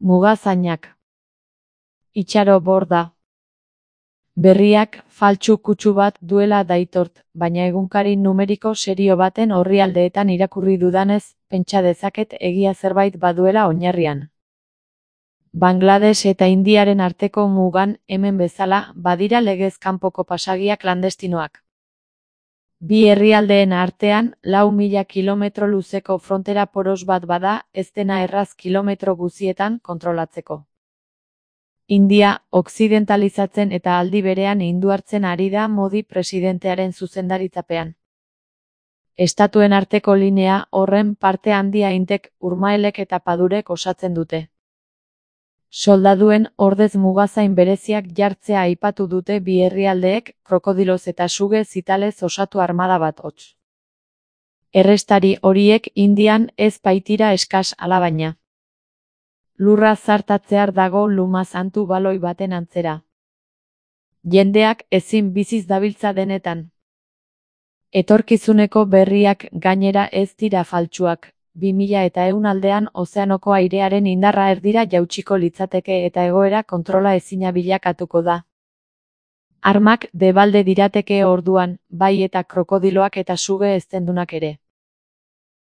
Mugazainak. Itxaro borda. Berriak faltsu kutsu bat duela daitort, baina egunkari numeriko serio baten orrialdeetan irakurri dudanez, pentsa dezaket egia zerbait baduela oinarrian. Bangladesh eta Indiaren arteko mugan, hemen bezala, badira legez kanpoko pasagia klandestinoak. Bi herrialdeen artean, 4.000 kilometro luzeko frontera poros bat bada, ez dena erraz kilometro guzietan kontrolatzeko. India, okzidentalizatzen eta aldi berean hinduartzen ari da Modi presidentearen zuzendaritzapean. Estatuen arteko linea horren parte handia Indek, Urmaelek eta Padurek osatzen dute. Soldaduen ordez mugazain bereziak jartzea aipatu dute bi herrialdeek, krokodiloz eta suge zitalez osatu armada bat hots. Errestari horiek Indian ez baitira eskas alabaina. Lurra zartatzear dago luma santu baloi baten antzera. Jendeak ezin biziz dabiltza denetan. Etorkizuneko berriak gainera ez dira faltsuak. 2100 aldean ozeanoko airearen indarra erdira jautsiko litzateke eta egoera kontrola ezina bilakatuko da. Armak debalde dirateke orduan, bai eta krokodiloak eta suge eztendunak ere.